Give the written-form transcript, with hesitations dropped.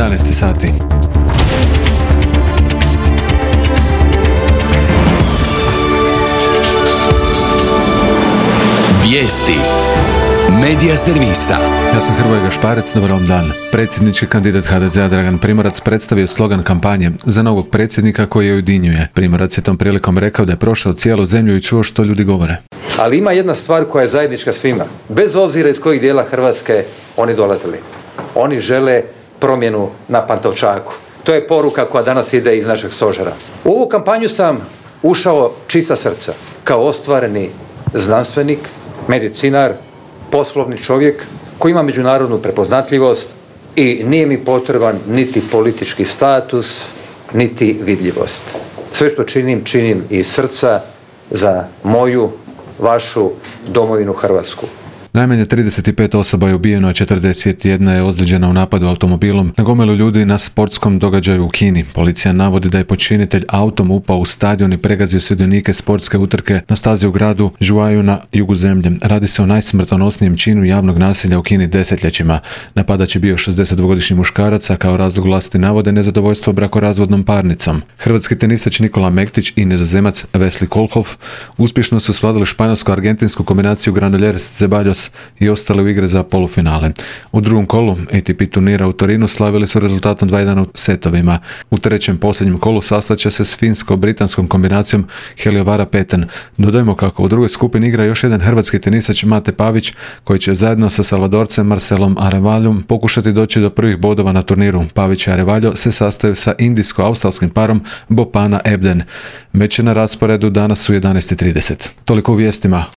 11 sati. Vijesti Medija servisa. Ja sam Hrvoje Gašparec, dobar vam dan. Predsjednički kandidat HDZ-a Dragan Primorac predstavio slogan kampanje za novog predsjednika koji je ujedinjuje. Primorac je tom prilikom rekao da je prošao cijelu zemlju i čuo što ljudi govore. Ali ima jedna stvar koja je zajednička svima. Bez obzira iz kojih dijela Hrvatske oni dolazili. Oni žele promjenu na Pantovčaku. To je poruka koja danas ide iz našeg stožera. U ovu kampanju sam ušao čista srca. Kao ostvareni znanstvenik, medicinar, poslovni čovjek koji ima međunarodnu prepoznatljivost i nije mi potreban niti politički status, niti vidljivost. Sve što činim iz srca za moju, vašu domovinu Hrvatsku. Najmanje 35 osoba je ubijeno, a 41 je ozlijeđena u napadu automobilom na gomilu ljudi na sportskom događaju u Kini. Policija navodi da je počinitelj autom upao u stadion i pregazio sudionike sportske utrke na stazi u gradu Zhuhai na jugu zemlje. Radi se o najsmrtonosnijem činu javnog nasilja u Kini desetljećima. Napadač je bio 62-godišnji muškarac, a kao razlog vlasti navode nezadovoljstvo brakorazvodnom parnicom. Hrvatski tenisač Nikola Mektić i Nizozemac Wesley Koolhof uspješno su svladali španjolsko-argentinsku kombinaciju Granollers-Zeballos i ostale u igre za polufinale. U drugom kolu ATP turnira u Torinu slavili su rezultatom 2:1 u setovima. U trećem posljednjem kolu sastaće se s finsko-britanskom kombinacijom Heliovara-Peten. Dodajmo kako u drugoj skupini igra još jedan hrvatski tenisač Mate Pavić, koji će zajedno sa Salvadorcem Marcelom Arevaljom pokušati doći do prvih bodova na turniru. Pavić i Arevaljo se sastaju sa indijsko-australskim parom Bopana Ebden. Meč je na rasporedu danas u 11:30. Toliko u vijestima.